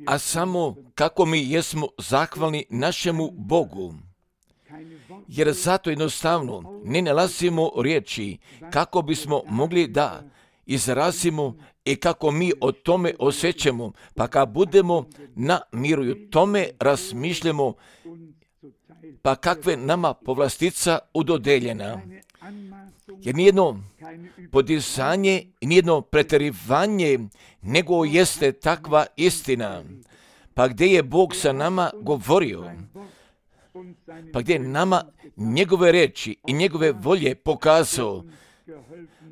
a samo kako mi jesmo zahvalni našemu Bogu. Jer zato jednostavno ne nalazimo riječi kako bismo mogli da izrazimo i kako mi o tome osjećamo, pa kad budemo na miru i o tome razmišljamo, pa kakve nama povlastica udodeljena. Jer nijedno podizanje i nijedno pretjerivanje nego jeste takva istina. Pa gdje je Bog sa nama govorio, pa gdje je nama njegove riječi i njegove volje pokazao,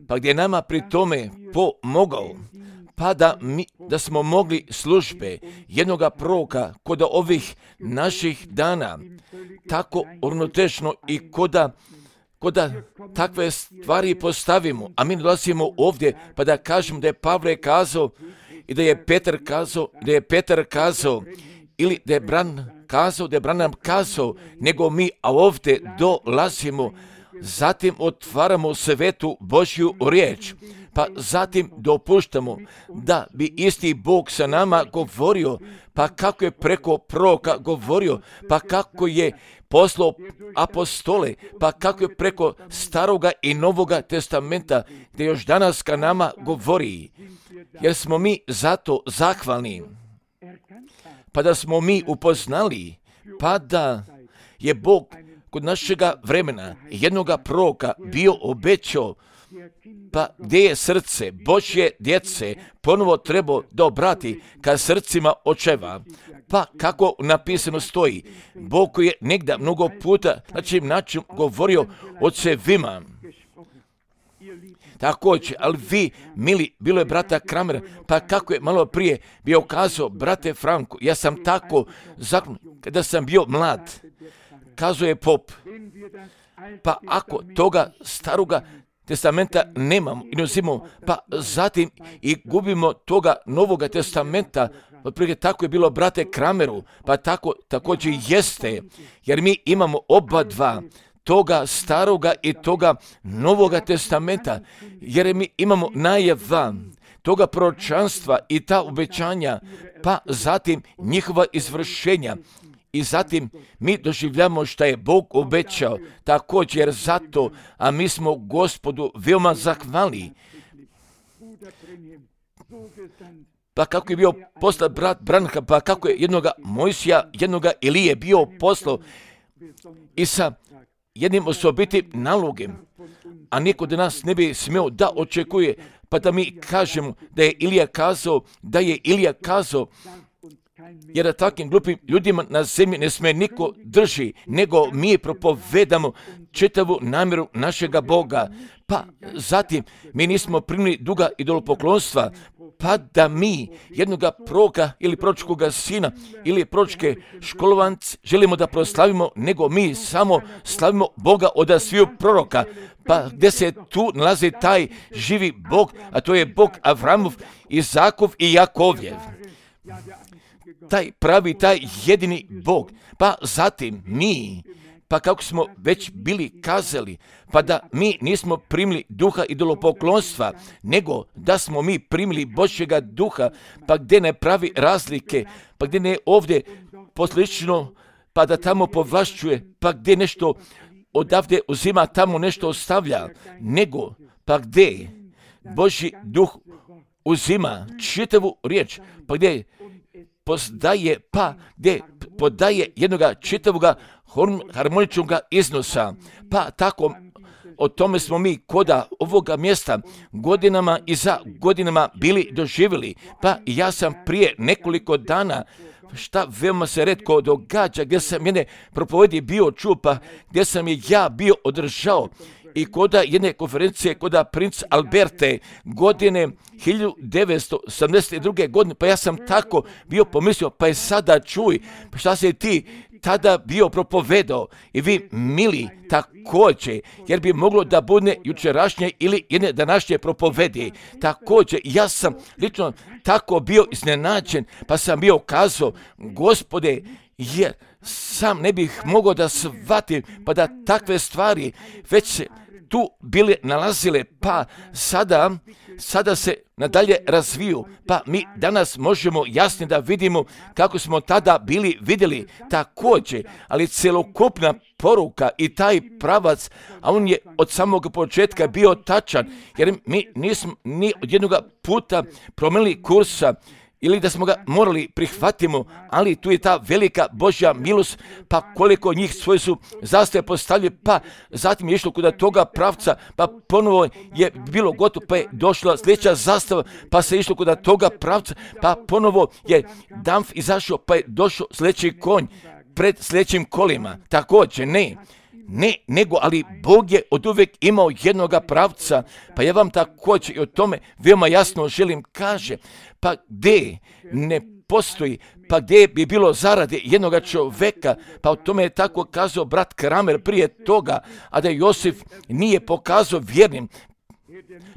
pa gdje je nama pri tome pomogao, pa da smo mogli službe jednoga proroka kod ovih naših dana tako uravnoteženo i koda takve stvari postavimo, a mi dolazimo ovdje pa da kažemo da je Pavle kazao i da je Petar kazao, ili da je Branham kazao, nego mi ovdje dolazimo, zatim otvaramo svetu Božju riječ, pa zatim dopuštamo da bi isti Bog sa nama govorio, pa kako je preko proroka govorio, pa kako je poslao apostole, pa kako je preko Staroga i Novoga testamenta, gdje još danas ka nama govori, jer smo mi zato zahvalni, pa da smo mi upoznali, pa da je Bog kod našega vremena jednoga proroka bio obećao, pa gdje je srce Božje djece ponovo treba da obrati ka srcima očeva. Pa kako napisano stoji, Bog koji je negdje mnogo puta na čim način govorio ocevima. Također, ali vi, mili, bilo je brata Kramera, pa kako je malo prije bio kazao, brate Franko, ja sam tako zakon, kada sam bio mlad, kazao je pop, pa ako toga staroga testamenta nemamo i ne uzimamo, pa zatim i gubimo toga Novoga testamenta, otprilike tako je bilo brate Krameru, pa tako također jeste, jer mi imamo oba dva, toga staroga i toga Novoga testamenta, jer mi imamo najava toga proročanstva i ta obećanja, pa zatim njihova izvršenja. I zatim mi doživljamo što je Bog obećao, također zato, a mi smo Gospodu veoma zahvalni. Pa kako je bio poslat brat Branham, pa kako je jednoga Mojsija, jednoga Ilije bio poslao i sa jednim osobitim nalogom, a niko od nas ne bi smio da očekuje, pa da mi kažemo da je Ilija kazao, jer da takvim glupim ljudima na zemlji ne sme niko drži, nego mi propovedamo čitavu namjeru našega Boga. Pa zatim mi nismo primili duga idolopoklonstva, pa da mi jednoga proroka ili proročkoga sina ili proročke školovance želimo da proslavimo, nego mi samo slavimo Boga od sviju proroka. Pa gdje se tu nalazi taj živi Bog, a to je Bog Avramov, Izakov i Jakovljev. Taj pravi, taj jedini Bog. Pa zatim mi, pa kako smo već bili kazali, pa da mi nismo primili duha idolopoklonstva, nego da smo mi primili Božjega duha, pa gdje ne pravi razlike, pa gdje ne ovdje poslično, pa da tamo povlašćuje, pa gdje nešto odavde uzima, tamo nešto ostavlja, nego pa gdje Božji duh uzima čitavu riječ, pa gdje podaje, pa gdje podaje jednoga čitavoga harmoničnog iznosa. Pa tako o tome smo mi koda ovoga mjesta godinama i za godinama bili doživjeli. Pa ja sam prije nekoliko dana, šta veoma se retko događa, gdje sam jedne propovedi bio čuo, pa gdje sam je ja bio održao i koda jedne konferencije koda princ Alberte godine 1972. godine, pa ja sam tako bio pomislio, pa je sada čuj, pa šta se ti tada bio propovedao i vi mili također, jer bi moglo da bude jučerašnje ili jedne današnje propovedi. Također, ja sam lično tako bio iznenađen, pa sam bio kazao, Gospode, jer sam ne bih mogao da shvatim, pa da takve stvari već tu bile nalazile, pa sada se nadalje razviju, pa mi danas možemo jasno da vidimo kako smo tada bili vidjeli također, ali celokupna poruka i taj pravac, a on je od samog početka bio tačan, jer mi nismo ni od jednog puta promijenili kursa, ili da smo ga morali prihvatimo, ali tu je ta velika Božja milost, pa koliko njih svoje su zastave postavili, pa zatim je išlo kod toga pravca, pa ponovo je bilo gotovo, pa je došla sljedeća zastava, pa se išlo kod toga pravca, pa ponovo je Damf izašao, pa je došao sljedeći konj pred sljedećim kolima. Također, nego, ali Bog je od uvijek imao jednoga pravca, pa ja vam također i o tome veoma jasno želim kaže, pa gdje ne postoji, pa gdje bi bilo zarade jednoga čoveka, pa o tome je tako kazao brat Kramer prije toga, a da Josif nije pokazao vjernim,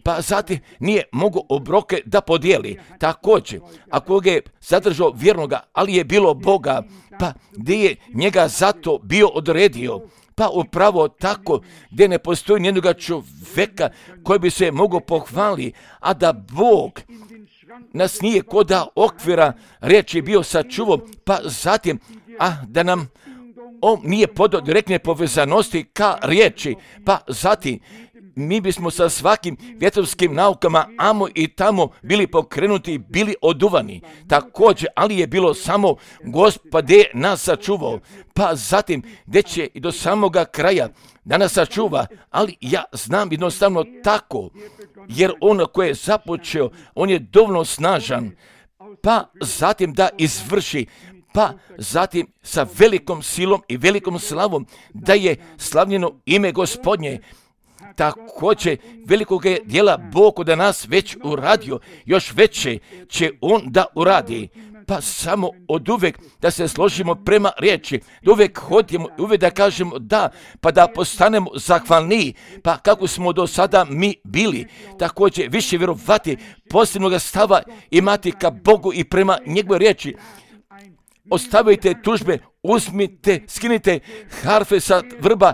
pa zatim nije mogao obroke da podijeli. Također, ako ga je zadržao vjernoga, ali je bilo Boga, pa gdje je njega zato bio odredio, pa upravo tako gdje ne postoji nijednog čoveka koji bi se mogao pohvaliti, a da Bog nas nije koda okvira riječi bio sačuvao, pa zatim, da nam on nije podao direktne povezanosti ka riječi, pa zatim mi bismo sa svakim vjetrovskim naukama amo i tamo bili pokrenuti, bili oduvani. Također, ali je bilo samo Gospod je nas sačuvao, pa zatim gdje će i do samoga kraja da nas sačuva, ali ja znam jednostavno tako, jer on koji je započeo, on je dovoljno snažan, pa zatim da izvrši, pa zatim sa velikom silom i velikom slavom da je slavljeno ime Gospodnje. Također velikog je dijela Bog od nas već uradio, još veće će on da uradi. Pa samo od uvijek da se složimo prema riječi, da uvijek hodimo, uvijek da kažemo da, pa da postanemo zahvalni, pa kako smo do sada mi bili. Također više vjerovati, posebnog stava imati ka Bogu i prema njegove riječi. Ostavite tužbe, uzmite, skinite harfe sa vrba,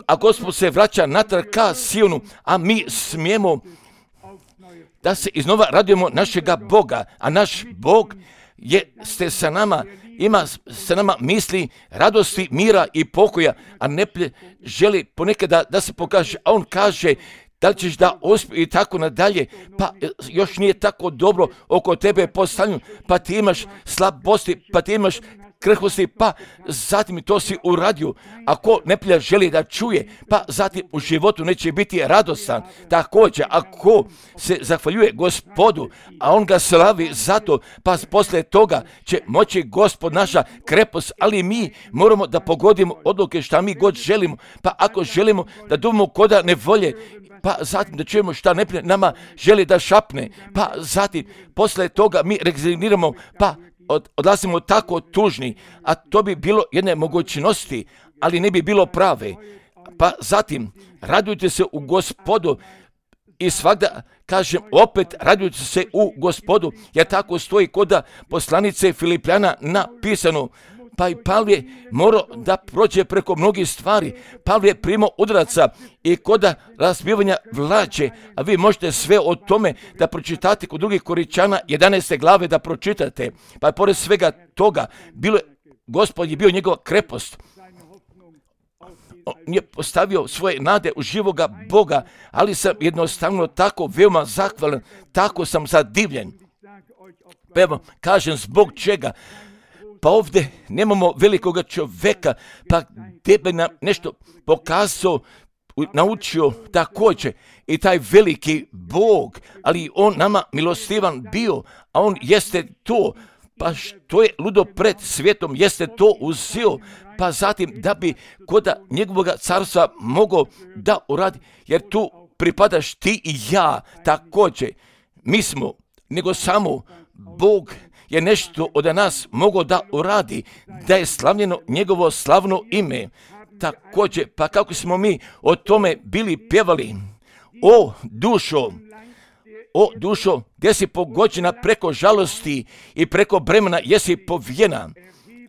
a Gospod se vraća natrag ka Sionu, a mi smijemo da se iznova radujemo našega Boga, a naš Bog jeste sa nama, ima sa nama misli, radosti, mira i pokoja, a ne želi ponekada da se pokaže, a on kaže da li ćeš da uspije i tako nadalje, pa još nije tako dobro oko tebe postavljeno, pa ti imaš slabosti, pa ti imaš krhkosti, pa zatim to si uradio. Ako neprijatelj želi da čuje, pa zatim u životu neće biti radostan. Također, ako se zahvaljuje Gospodu, a on ga slavi zato, pa poslije toga će moći Gospod naša krepost, ali mi moramo da pogodimo odluke šta mi god želimo, pa ako želimo da duvamo koda nevolje, pa zatim da čujemo šta neprijatelj nama želi da šapne, pa zatim poslije toga mi rezigniramo, pa odlazimo tako tužni, a to bi bilo jedne mogućnosti, ali ne bi bilo prave. Pa zatim, radujte se u Gospodu i svakda, kažem, opet radujte se u Gospodu, jer tako stoji kod poslanice Filipljana napisano. Pa i Pavle morao da prođe preko mnogih stvari. Pavle je primao udaraca i kod razbivanja vlađe, a vi možete sve o tome da pročitate kod drugih Koričana 11. glave da pročitate. Pa je pored svega toga, Gospod je bio njegova krepost. On je postavio svoje nade u živoga Boga, ali sam jednostavno tako veoma zahvalan, tako sam zadivljen. Pa evo, kažem zbog čega. Pa ovdje nemamo velikoga čoveka, pa tebe nam nešto pokazao, naučio također i taj veliki Bog, ali on nama milostivan bio, a on jeste to, pa što je ludo pred svijetom, jeste to uzeo, pa zatim da bi kod njegovog carstva mogao da uradi, jer tu pripadaš ti i ja također, mi smo, nego samo Bog je nešto od nas mogao da uradi, da je slavljeno njegovo slavno ime. Također, pa kako smo mi o tome bili pjevali, o dušo, gdje si pogođena preko žalosti i preko bremena jesi povijena.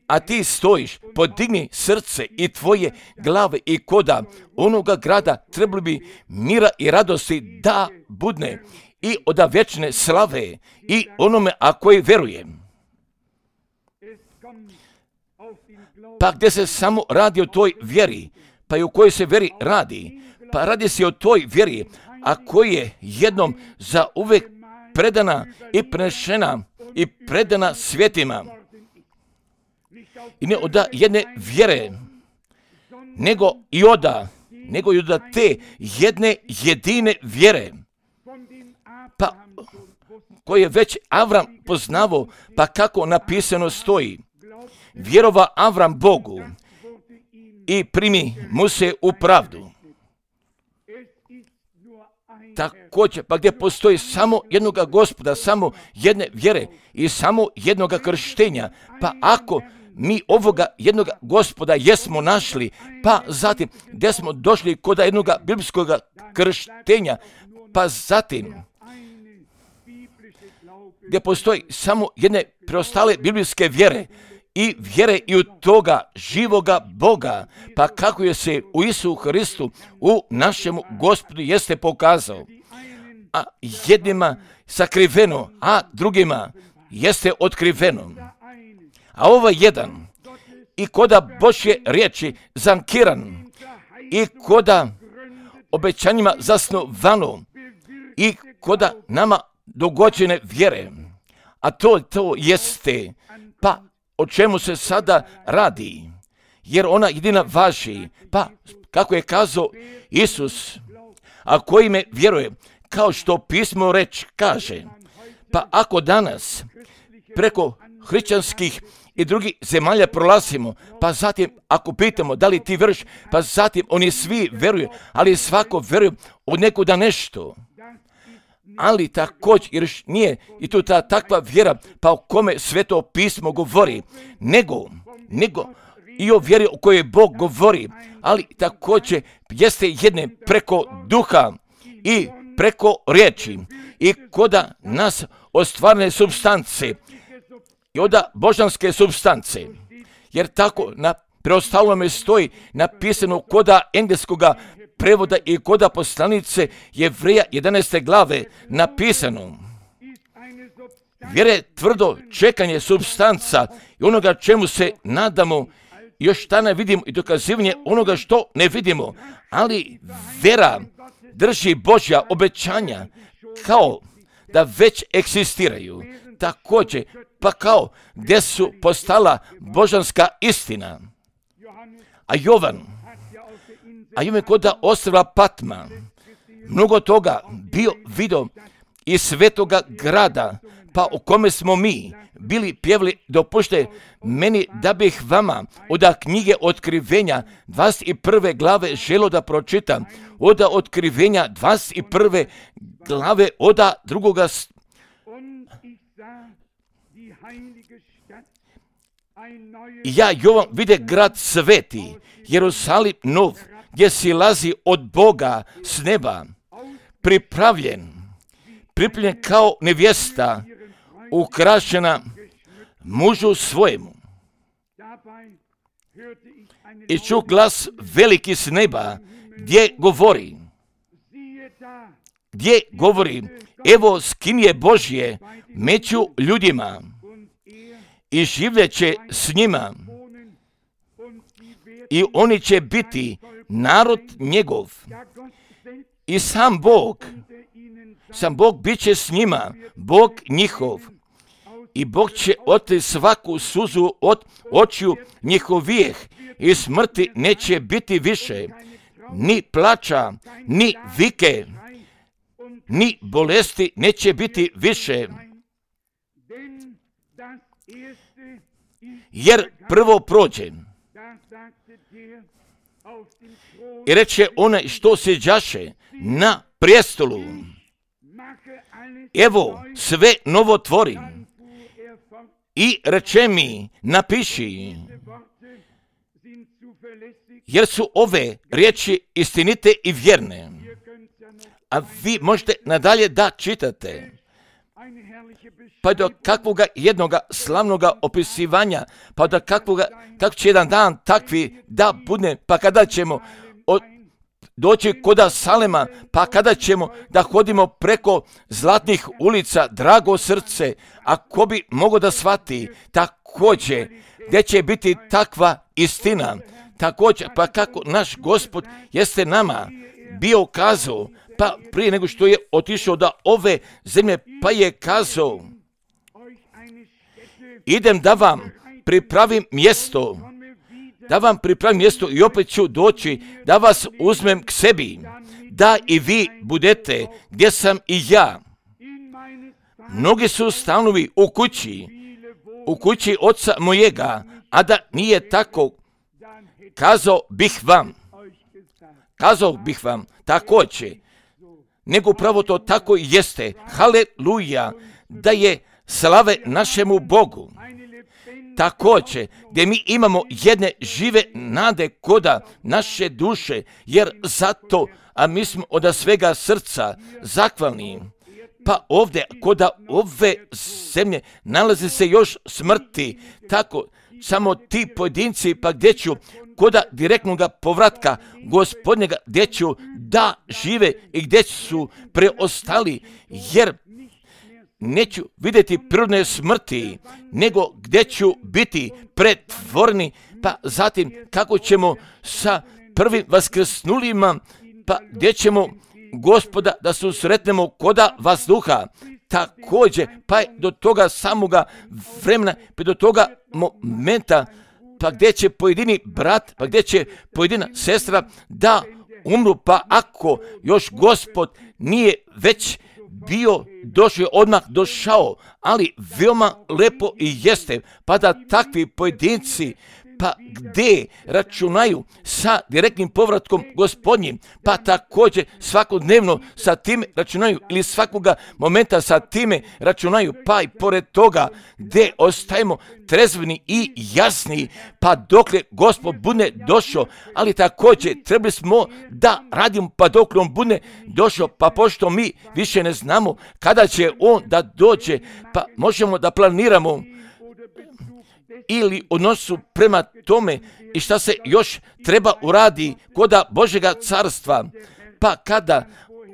a ti stojiš, podigni srce i tvoje glave i koda onoga grada trebali bi mira i radosti da budne i od vječne slave i onome a koji veruje. Pa gdje se samo radi o toj vjeri, pa i o kojoj se vjeri radi, pa radi se o toj vjeri, a koji je jednom za uvijek predana i prenešena i predana svjetima. I ne od jedne vjere, nego i od te jedne jedine vjere, pa koje je već Avram poznavao, pa kako napisano stoji. Vjerova Avram Bogu i primi mu se u pravdu. Također, pa gdje postoji samo jednoga Gospoda, samo jedne vjere i samo jednoga krštenja, pa ako mi ovoga jednoga Gospoda jesmo našli, pa zatim gdje smo došli kod jednoga biblijskog krštenja, pa zatim gdje postoji samo jedne preostale biblijske vjere i vjere i u toga živoga Boga, pa kako je se u Isusu Hristu, u našemu Gospodu jeste pokazao, a jednima sakriveno, a drugima jeste otkriveno. A ovaj jedan i koda Božje riječi zankiran i koda obećanjima zasnovano i koda nama dogođene vjere, a to jeste, pa o čemu se sada radi, jer ona jedina važi, pa kako je kazao Isus, a koji me vjeruje, kao što pismo reč kaže, pa ako danas preko hrišćanskih i drugih zemalja prolazimo, pa zatim ako pitamo da li ti vjeruješ, pa zatim oni svi vjeruju, ali svako vjeruje od nekuda nešto. Ali također, jer nije i tu ta takva vjera, pa o kome Sveto pismo govori, nego i o vjeri o kojoj Bog govori, ali također jeste jedne preko duha i preko riječi i koda nas ostvarne supstance i od božanske supstance, jer tako na preostalome stoji napisano koda engleskoga prevoda i koda poslanice Jevreja 11. glave napisano. Vjere tvrdo čekanje supstanca i onoga čemu se nadamo, još šta ne vidimo i dokazivanje onoga što ne vidimo, ali vjera drži Božja obećanja kao da već egzistiraju, također pa kao gdje su postala božanska istina. A Jovan koda ostrva Patma mnogo toga bio vidio iz svetoga grada, pa o kome smo mi bili pjevali, dopušte meni da bih vama od knjige Otkrivenja 21. glave želo da pročitam, od Otkrivenja 21. glave od drugoga. Ja Jovan vide grad sveti, Jerusalim nov, gdje silazi od Boga s neba, pripravljen kao nevjesta, ukrašena mužu svojemu. I ču glas veliki s neba, gdje govori, evo skinje Božje među ljudima i življeće s njima i oni će biti narod njegov i sam Bog bit će s njima, Bog njihov, i Bog će otri svaku suzu od očiju njihovih i smrti neće biti više, ni plača, ni vike, ni bolesti neće biti više. Jer prvo prođe. I reče onaj što sjeđaše na prijestolu, evo sve novo tvorim. I reče mi, napiši, jer su ove riječi istinite i vjerne. A vi možete nadalje da čitate. pa do kakvoga jednoga slavnoga opisivanja, pa do kako će jedan dan takvi da bude, pa kada ćemo doći koda Salema, pa kada ćemo da hodimo preko zlatnih ulica, drago srce, a ko bi mogao da shvati također gdje će biti takva istina, također, pa kako naš Gospod jeste nama bio kazao, pa prije nego što je otišao da ove zemlje, pa je kazao, idem da vam pripravim mjesto, i opet ću doći da vas uzmem k sebi, da i vi budete gdje sam i ja. Mnogi su stanovi u kući oca mojega, a da nije tako, kazao bih vam također, nego upravo to tako jeste. Haleluja, da je slave našemu Bogu. Također, gdje mi imamo jedne žive nade koda naše duše, jer zato, a mi smo od svega srca zahvalni. Pa ovdje, koda ove zemlje, nalazi se još smrti, tako, samo ti pojedinci, pa gdje ću, koda direktnog povratka Gospodnjega, gdje ću da žive i gdje su preostali, jer neću vidjeti prirodne smrti, nego gdje ću biti pretvoreni, pa zatim kako ćemo sa prvim vaskrsnulima, pa gdje ćemo Gospoda da susretnemo koda vazduha, također, pa do toga samoga vremena, pa do toga momenta, pa gdje će pojedini brat, pa gdje će pojedina sestra da umru, pa ako još Gospod nije već bio došao, odmah došao, ali veoma lepo i jeste, pa da takvi pojedinci, pa gdje računaju sa direktnim povratkom Gospodnjim, pa također svakodnevno sa tim računaju ili svakoga momenta sa time računaju, pa i pored toga gdje ostajemo trezveni i jasni, pa dokle Gospod bude došao, ali također trebali smo da radimo pa dokle on bude došao, pa pošto mi više ne znamo kada će on da dođe, pa možemo da planiramo ili odnosu prema tome i šta se još treba uradi koda Božjega carstva, pa kada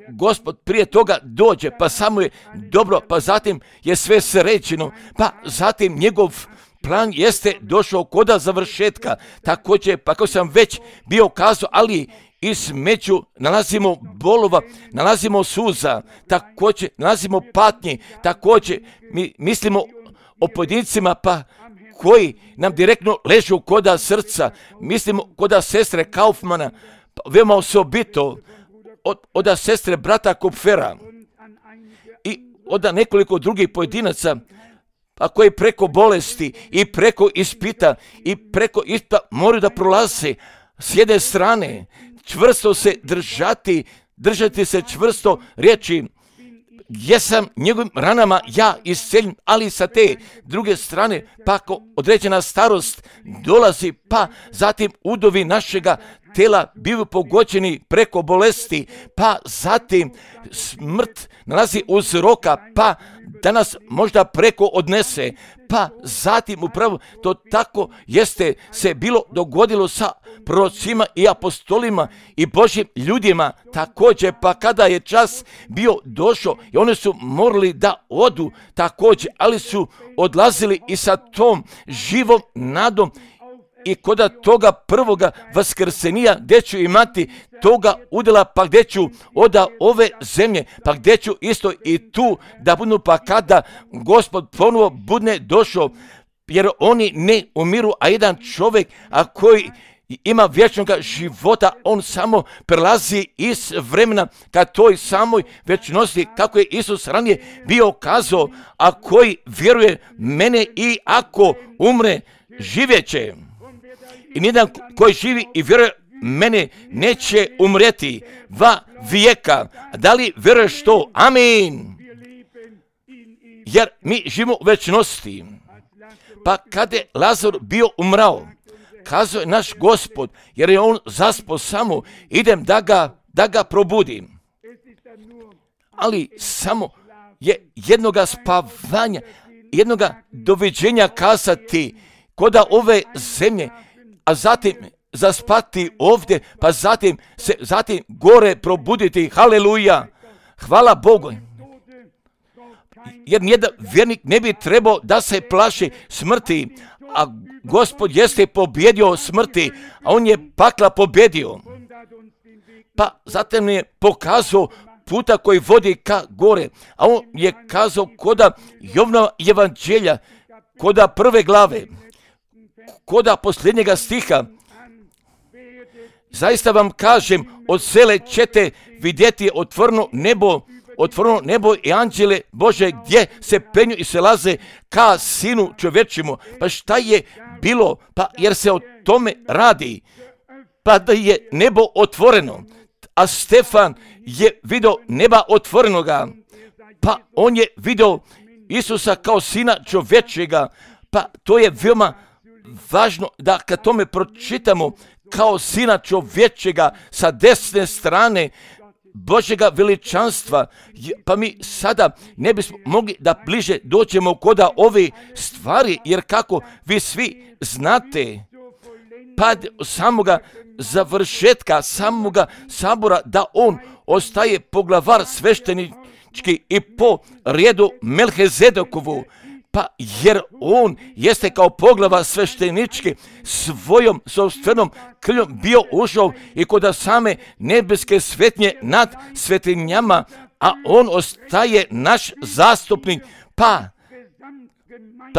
Gospod prije toga dođe, pa samo je dobro, pa zatim je sve sređeno, pa zatim njegov plan jeste došao koda završetka, također, pa kao sam već bio kazao, ali između nalazimo bolova, nalazimo suza, također nalazimo patnje, također mi mislimo o pojedincima, pa koji nam direktno ležu koda srca, mislimo koda sestre Kaufmana, veoma osobito od sestre brata Kupfera i od nekoliko drugih pojedinaca, a koji preko bolesti i preko ispita moraju da prolaze s jedne strane, čvrsto se držati se čvrsto riječi, jesam njegovim ranama ja isceljen, ali sa te druge strane, pa ako određena starost dolazi, pa zatim udovi našega tela bivaju pogođeni preko bolesti, pa zatim smrt nalazi uzroka, pa da nas možda preko odnese, pa zatim upravo to tako jeste se bilo dogodilo sa prorocima i apostolima i Božjim ljudima također, pa kada je čas bio došao i oni su morali da odu također, ali su odlazili i sa tom živom nadom i koda toga prvoga vaskrsenija gdje ću imati toga udjela, pa gdje ću od ove zemlje, pa gdje ću isto i tu da budu, pa kada Gospod ponovo bude došao, jer oni ne umiru, a jedan čovjek koji ima vječnog života, on samo prelazi iz vremena ka toj samoj vječnosti, kako je Isus ranije bio kazao, a koji vjeruje mene i ako umre, živjeće. I nijedan koji živi i vjeruje mene neće umreti va vijeka. Da li vjeruješ to? Amin. Jer mi živimo u večnosti. Pa kada je Lazar bio umrao, kazao je naš Gospod, jer je on zaspao samo, idem da ga probudim. Ali samo je jednoga spavanja, jednoga doviđenja kazati koda ove zemlje, a zatim zaspati ovdje, pa zatim gore probuditi. Haleluja! Hvala Bogu! Jer nijedan vjernik ne bi trebao da se plaši smrti, a Gospod jeste pobjedio smrti, a on je pakla pobjedio. Pa zatim je pokazao puta koji vodi ka gore, a on je kazao koda Jovnova evanđelja, koda 1. glave, koda posljednjega stiha. Zaista vam kažem, od sele ćete vidjeti otvoreno nebo i anđele Bože gdje se penju i se laze ka Sinu čovječimu. Pa šta je bilo? Pa jer se o tome radi. Pa da je nebo otvoreno, a Stefan je vidio neba otvorenoga. Pa on je vidio Isusa kao Sina čovječega. Pa to je veoma važno da kad tome pročitamo kao Sina čovječega sa desne strane Božjega veličanstva, pa mi sada ne bismo mogli da bliže dođemo koda ove stvari, jer kako vi svi znate, pa samoga završetka, samoga sabora, da on ostaje poglavar sveštenički i po redu Melhizedekovu, pa jer on jeste kao poglava sveštenički svojom sopstvenom krvlju bio ušao i kod same nebeske svetnje nad svetinjama, a on ostaje naš zastupnik, pa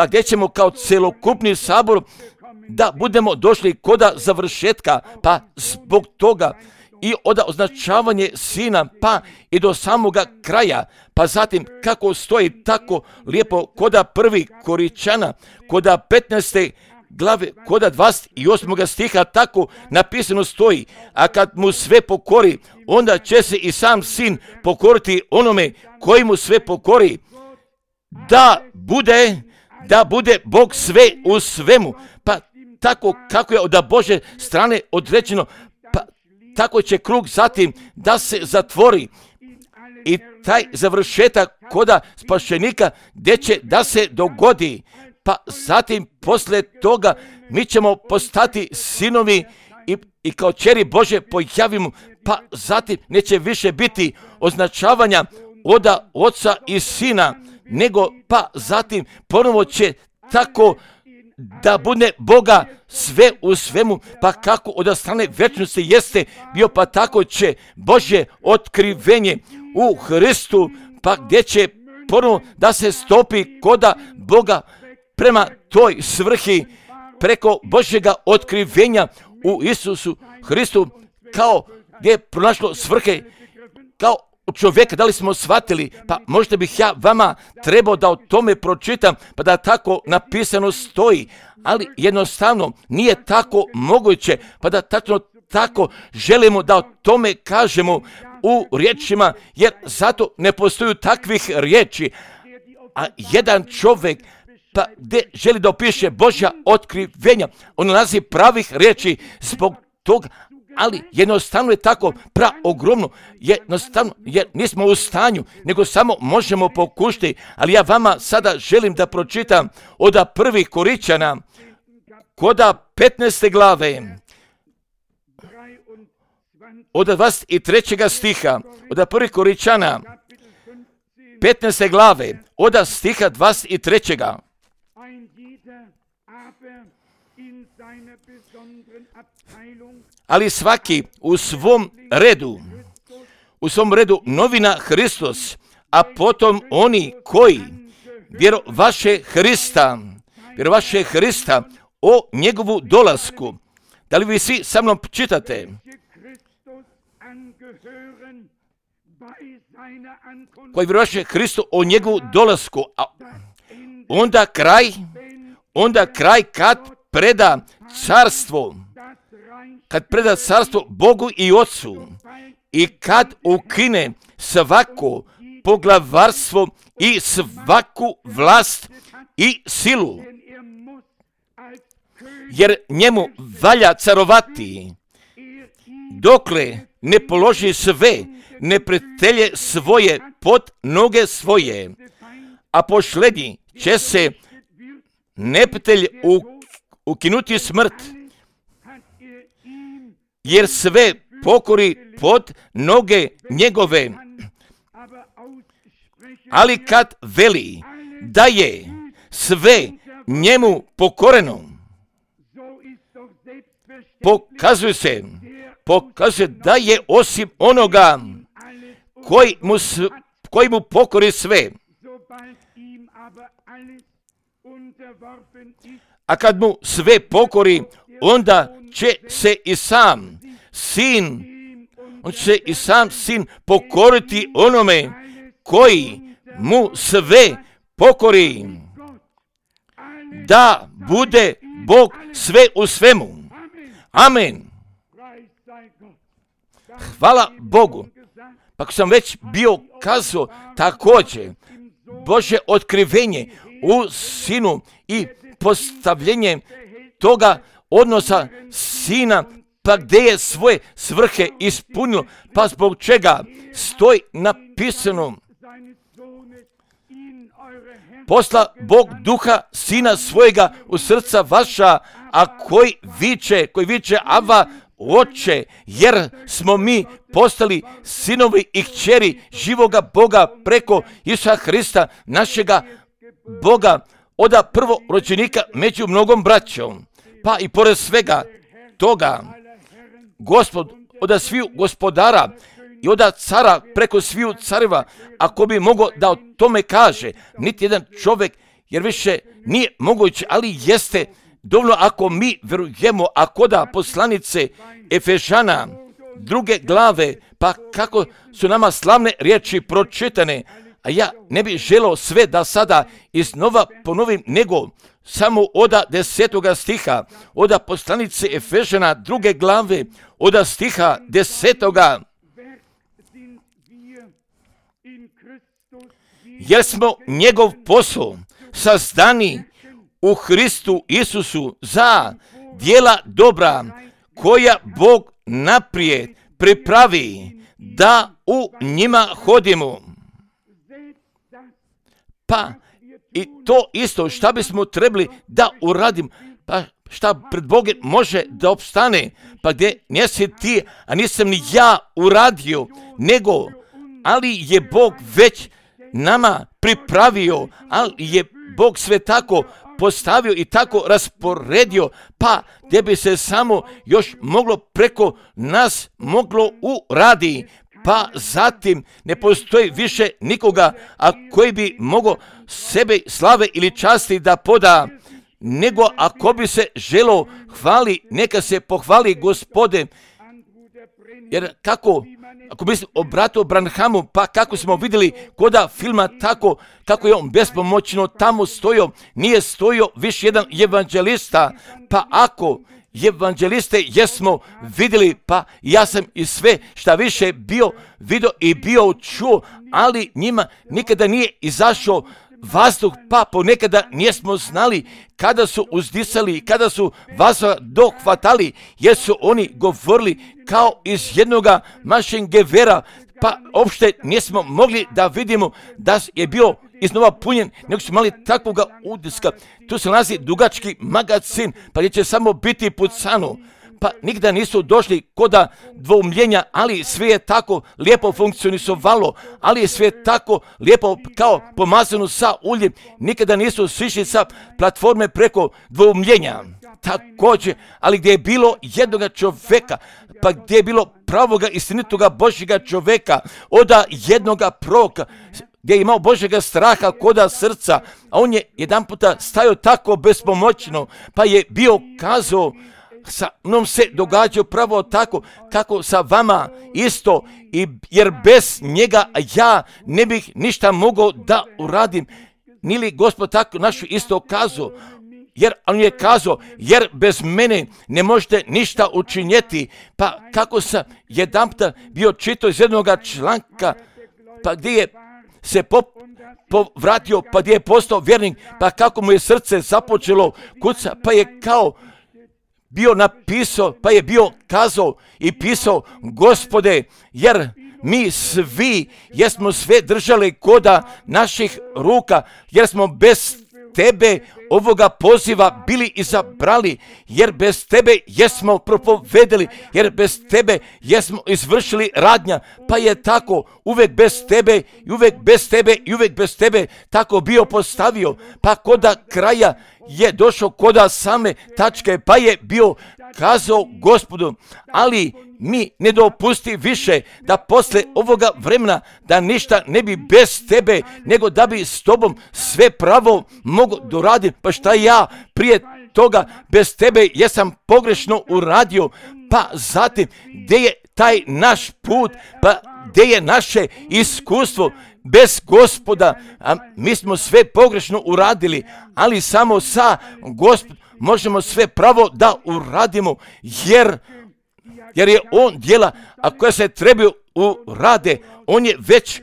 gdje ćemo kao celokupni sabor da budemo došli koda završetka, pa zbog toga i od označavanje Sina, pa i do samoga kraja, pa zatim kako stoji tako lijepo koda 1. Koričana, koda 15. glave, koda 28. stiha tako napisano stoji, a kad mu sve pokori, onda će se i sam Sin pokoriti onome koji mu sve pokori, da bude Bog sve u svemu. Pa tako kako je od Božje strane određeno, pa tako će krug zatim da se zatvori i taj završetak koda spašenika gdje će da se dogodi. Pa zatim posle toga mi ćemo postati sinovi i kao čeri Bože pojavimo, pa zatim neće više biti označavanja od Oca i Sina, nego pa zatim ponovo će tako da bude Boga sve u svemu, pa kako od strane večnosti jeste bio, pa tako će Božje otkrivenje u Hristu, pa gdje će ponovo da se stopi koda Boga prema toj svrhi preko Božjega otkrivenja u Isusu Hristu, kao gdje je pronašlo svrhe kao čovjeka. Da li smo shvatili? Pa možda bih ja vama trebao da o tome pročitam, pa da tako napisano stoji, ali jednostavno nije tako moguće, pa da tako želimo da o tome kažemo u riječima, jer zato ne postoju takvih riječi, a jedan čovjek pa gdje želi da opiše Božja otkrivenja, on nalazi pravih riječi zbog toga, ali jednostavno je tako ogromno, jednostavno jer nismo u stanju, nego samo možemo pokušati, ali ja vama sada želim da pročitam od 1. Koričana, koda 15. glave, od 23. stiha, od 1. Koričana, 15. glave, od stiha 23. Ali svaki u svom redu novina Hristos, a potom oni koji vjerovaše Hrista o njegovu dolasku. Da li vi svi sa mnom čitate? Koji vjerovaše Hristu o njegovu dolasku, a onda kraj kad preda carstvo Bogu i Otcu i kad ukine svako poglavarstvo i svaku vlast i silu, jer njemu valja carovati, dokle ne položi sve neprijatelje svoje pod noge svoje, a posljednji će se neprijatelj ukinuti smrt, jer sve pokori pod noge njegove. Ali kad veli da je sve njemu pokoreno, pokazuje da je osim onoga koji mu pokori sve. A kad mu sve pokori, onda će se i sam sin pokoriti onome koji mu sve pokori, da bude Bog sve u svemu. Amen. Hvala Bogu. Pa ako sam već bio kazao, također Božje otkrivenje u Sinu i postavljenje toga odnosa Sina, pa gdje je svoje svrhe ispunilo, pa zbog čega stoji napisano: posla Bog duha Sina svojega u srca vaša, a koji viče Ava, Oče, jer smo mi postali sinovi i kćeri živoga Boga preko Isusa Hrista, našega Boga, oda prvorođenika među mnogom braćom. Pa i pored svega toga, Gospod oda sviju gospodara i oda cara preko sviju careva, ako bi mogao da o tome kaže, niti jedan čovjek, jer više nije moguće, ali jeste dovoljno ako mi vjerujemo, ako da poslanice Efežana 2. glave, pa kako su nama slavne riječi pročitane, a ja ne bih želeo sve da sada iznova ponovim, nego samo oda 10. stiha, oda poslanice Efežana 2. glave, oda stiha 10. Jer smo njegov posao sazdani u Hristu Isusu za djela dobra koja Bog naprijed pripravi da u njima hodimo. Pa i to isto šta bismo trebali da uradim, pa šta pred Bogom može da opstane, pa gdje nisi ti, a nisam ni ja uradio, nego, ali je Bog već nama pripravio, ali je Bog sve tako postavio i tako rasporedio, pa gdje bi se samo još moglo preko nas moglo uradi. Pa zatim ne postoji više nikoga, a koji bi mogao sebe slave ili časti da poda, nego ako bi se želo hvali, neka se pohvali Gospode. Jer ako bi se obratio Branhamu, pa kako smo vidjeli koda filma, tako kako je on bespomoćno tamo stojio, nije stojio više jedan evanđelista, pa ako evanđeliste jesmo vidjeli, pa ja sam i sve šta više bio vidio i bio čuo, ali njima nikada nije izašao vazduh, pa ponekada nismo znali kada su uzdisali i kada su vazduha dohvatali, jer su oni govorili kao iz jednoga mašingevera, pa uopšte nismo mogli da vidimo da je bio iznova punjen, nego su imali takvoga udiska. Tu se nalazi dugački magazin, pa gdje će samo biti pucano. Pa nikada nisu došli koda dvoumljenja, ali sve je tako lijepo funkcionisovalo, ali je sve tako lijepo kao pomazano sa uljem. Nikada nisu sišli sa platforme preko dvoumljenja. Također, ali gdje je bilo jednoga čovjeka, pa gdje je bilo pravoga istinitoga Božjega čovjeka, oda jednoga proroka, gdje je imao Božjega straha koda srca, a on je jedan puta stajao tako bespomoćno, pa je bio kazao, sa mnom se događa pravo tako kako sa vama isto, jer bez njega ja ne bih ništa mogao da uradim. Nije li Gospod tako našu isto kazao? Jer on je kazao, jer bez mene ne možete ništa učinjeti. Pa kako sam jedan puta bio čitao iz jednog članka, pa gdje je se povratio, pa gdje je postao vjernik, pa kako mu je srce započelo kuca, pa je kao bio napisao, pa je bio kazao i pisao, Gospode, jer mi svi jesmo sve držali koda naših ruka, jer smo bez Tebe ovoga poziva bili izabrali, jer bez Tebe jesmo propovedeli, jer bez Tebe jesmo izvršili radnja, pa je tako uvek bez Tebe i uvek bez Tebe i uvek bez Tebe tako bio postavio, pa koda kraja je došao koda same tačke, pa je bio kazao Gospodu, ali mi ne dopusti više da posle ovoga vremena da ništa ne bi bez Tebe, nego da bi s Tobom sve pravo mogu doraditi. Pa šta ja prije toga bez Tebe jesam pogrešno uradio, pa zatim gdje je taj naš put, pa gdje je naše iskustvo bez Gospoda, a mi smo sve pogrešno uradili, ali samo sa Gospodom možemo sve pravo da uradimo, jer je on djela, a koja se trebaju urade, on je već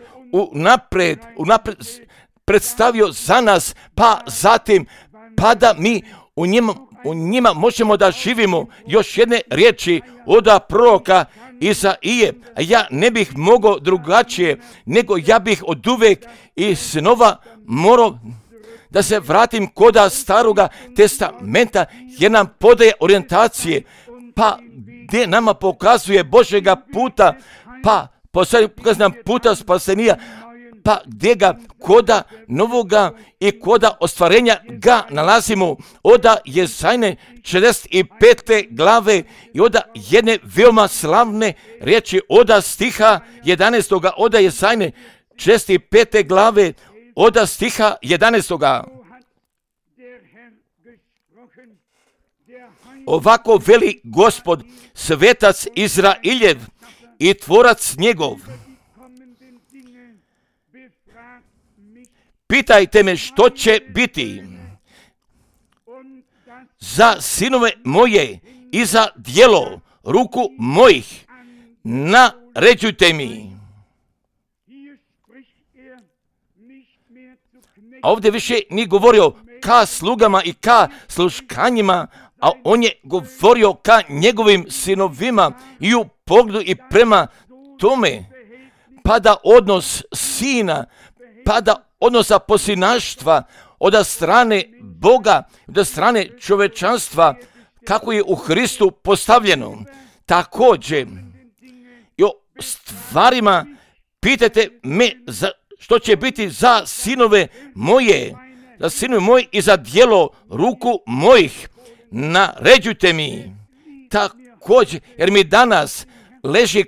unapred predstavio za nas, pa zatim, pa da mi u njima možemo da živimo. Još jedne riječi od proroka Izaije, a ja ne bih mogao drugačije, nego ja bih oduvek i snova morao da se vratim koda Staroga testamenta, jer nam podaje orijentacije, pa gdje nama pokazuje Božjega puta, pa pokazuje nam puta spasenija, pa gdje ga koda novoga i koda ostvarenja ga nalazimo od Jezajne 45. glave i od jedne veoma slavne riječi od stiha 11. od Jezajne 45. glave od stiha 11. Ovako veli Gospod, svetac Izrailjev i tvorac njegov. Pitajte me što će biti za sinove moje i za djelo ruku mojih, naređujte mi. A ovdje više nije govorio ka slugama i ka sluškanjima, a on je govorio ka njegovim sinovima i u pogledu i prema tome, pa da odnos sina, pa da odnosa posinaštva od strane Boga, od strane čovečanstva, kako je u Hristu postavljeno. Također, i o stvarima pitajte me što će biti za sinove moje i za djelo ruku mojih, naređujte mi. Također, jer mi danas leži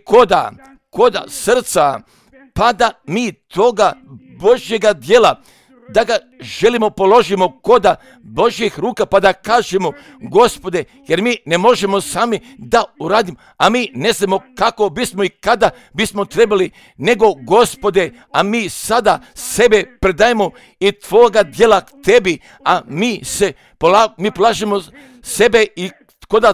koda srca, pa da mi toga Božjega djela, da ga želimo položimo koda Božjih ruka, pa da kažemo, Gospode, jer mi ne možemo sami da uradimo, a mi ne znamo kako bismo i kada bismo trebali, nego Gospode, a mi sada sebe predajemo i Tvoga djela k Tebi, a mi polažemo sebe i koda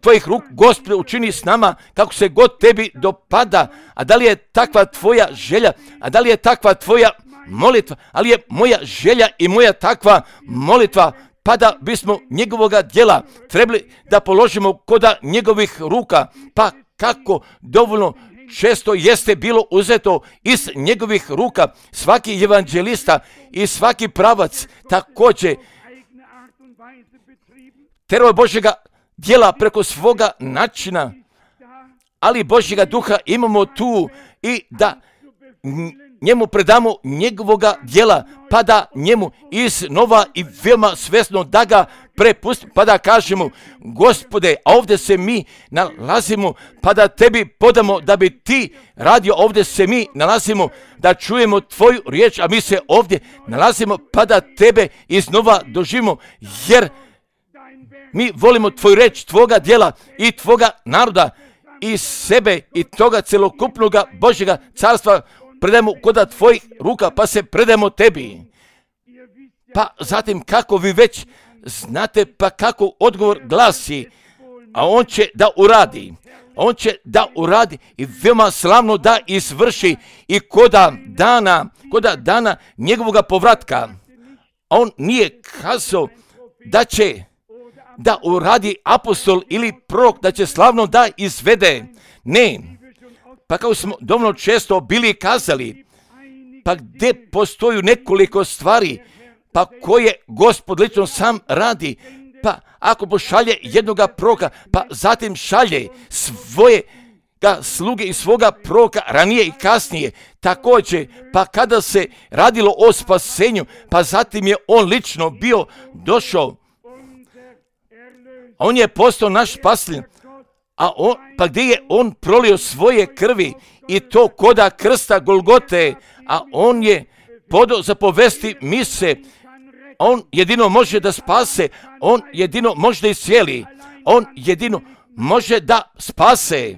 Tvojih ruk, Gospode, učini s nama kako se god Tebi dopada. A da li je takva Tvoja želja, a da li je takva Tvoja molitva, ali je moja želja i moja takva molitva, pa da bismo njegovoga djela trebali da položimo koda njegovih ruka, pa kako dovoljno često jeste bilo uzeto iz njegovih ruka. Svaki evanđelista i svaki pravac također terao je Božjega djela preko svoga načina, ali Božjega duha imamo tu i da njemu predamo njegovoga djela, pa da njemu iznova i veoma svjesno da ga prepustimo, pa da kažemo, Gospode, a ovdje se mi nalazimo, pa da Tebi podamo da bi Ti radio. Ovdje se mi nalazimo da čujemo Tvoju riječ, a mi se ovdje nalazimo pa da Tebe iznova doživimo, jer mi volimo Tvoju reč, Tvoga djela i Tvoga naroda i sebe i toga celokupnoga Božjega carstva predajemo koda Tvojih ruka, pa se predajemo Tebi. Pa zatim kako vi već znate, pa kako odgovor glasi, a on će da uradi i veoma slavno da izvrši i koda dana njegovoga povratka. A on nije kazao da uradi apostol ili prorok, da će slavno da izvede. Ne. Pa kao smo dovoljno često bili kazali, pa gdje postoju nekoliko stvari, pa koje Gospod lično sam radi, pa ako pošalje jednoga proroka, pa zatim šalje svoje sluge i svoga proroka ranije i kasnije, također, pa kada se radilo o spasenju, pa zatim je on lično bio došao, on je postao naš spasitelj, pa gdje je on prolio svoje krvi i to koda krsta Golgote, a on je podao zapovesti mise, on jedino može da spase, on jedino može da iscijeli, on jedino može da spase,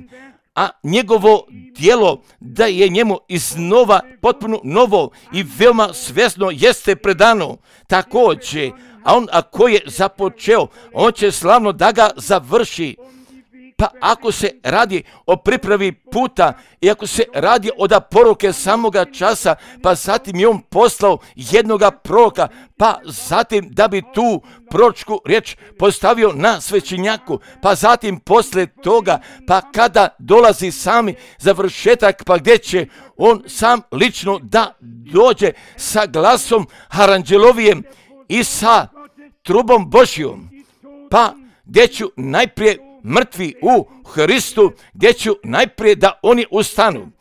a njegovo djelo da je njemu iznova potpuno novo i veoma svjesno jeste predano. Također, a on ako je započeo, on će slavno da ga završi. Pa ako se radi o pripravi puta i ako se radi o da poruke samoga časa, pa zatim je on poslao jednoga proroka, pa zatim da bi tu proročku riječ postavio na svećenjaku, pa zatim posle toga, pa kada dolazi sami završetak, pa gdje će on sam lično da dođe sa glasom aranđelovijem i sa trubom Božjom, pa gdje ću najprije mrtvi u Hristu, gdje ću najprije da oni ustanu.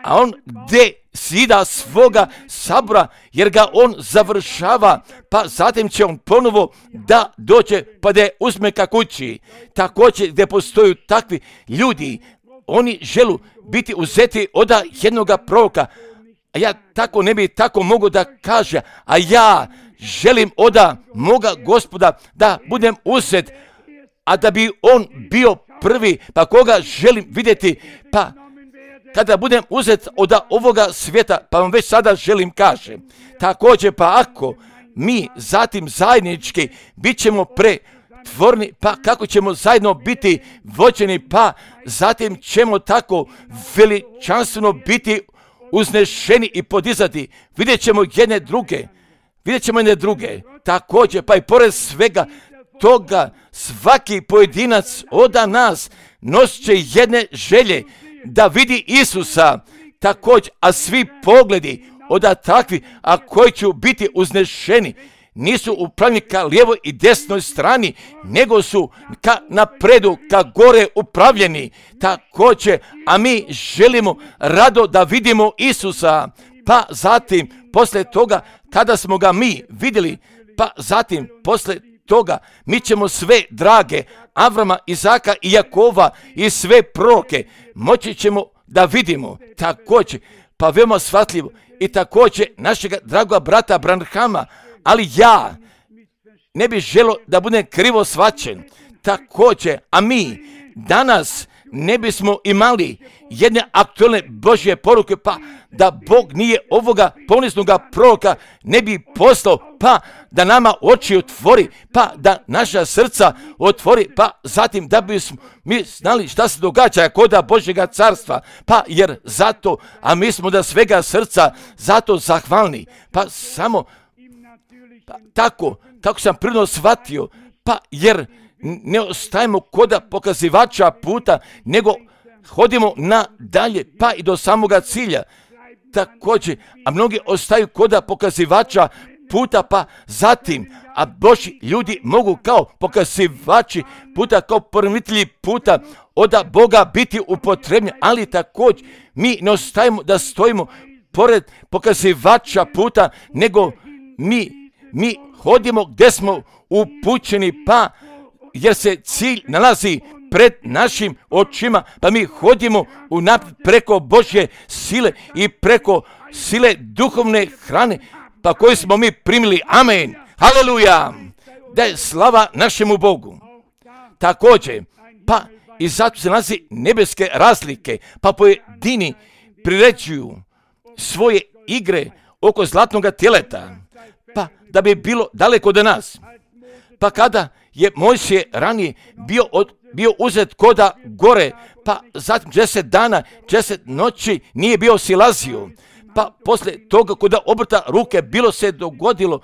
A on gdje sida svoga sabora, jer ga on završava, pa zatim će on ponovo da dođe, pa da je uzme ka kući. Također gdje postoju takvi ljudi, oni želu biti uzeti od jednoga proroka, a ja tako ne bi tako mogu da kaže, a ja želim od moga Gospoda da budem uzet, a da bi on bio prvi, pa koga želim vidjeti, pa kada budem uzet od ovoga svijeta, pa vam već sada želim kažem. Također, pa ako mi zatim zajednički bit ćemo pretvorni, pa kako ćemo zajedno biti vođeni, pa zatim ćemo tako veličanstveno biti uznešeni i podizati. Vidjet ćemo jedne druge. Također, pa i pored svega toga, svaki pojedinac od nas nosit će jedne želje da vidi Isusa, također, a svi pogledi od takvi, a koji će biti uznešeni, nisu upravljeni ka lijevoj i desnoj strani, nego su ka napredu, ka gore upravljeni. Također, a mi želimo rado da vidimo Isusa, pa zatim, posle toga, kada smo ga mi vidjeli, pa zatim, posle toga, mi ćemo sve drage Avrama, Izaka i Jakova i sve proroke moći ćemo da vidimo. Također, pa veoma shvatljivo, i također našega dragoga brata Branhama, ali ja ne bih želio da budem krivo shvaćen. Također, a mi danas ne bismo imali jedne aktualne Božje poruke, pa da Bog nije ovoga poniznoga proroka ne bi poslao, pa da nama oči otvori, pa da naša srca otvori, pa zatim da bismo mi znali šta se događa koda Božjega carstva, pa jer zato, a mi smo da svega srca zato zahvalni, pa samo pa tako sam prirodno shvatio, pa jer ne ostajemo koda pokazivača puta, nego hodimo nadalje, pa i do samoga cilja. Također, a mnogi ostaju koda pokazivača puta, pa zatim, a Božji ljudi mogu kao pokazivači puta, kao poremitelji puta od Boga biti upotrebljeni, ali također mi ne ostajemo da stojimo pored pokazivača puta, nego mi hodimo gdje smo upućeni, pa jer se cilj nalazi pred našim očima, pa mi hodimo preko Božje sile i preko sile duhovne hrane, pa koju smo mi primili. Amen. Haleluja. Da je slava našemu Bogu. Također, pa i zato se nalazi nebeske razlike, pa pojedini priređuju svoje igre oko zlatnog teleta, pa da bi bilo daleko od nas. Pa kada je Mojsije ranije bio uzet koda gore, pa zatim 10 dana, 10 noći nije bio silazio, pa posle toga koda obrta ruke bilo se dogodilo,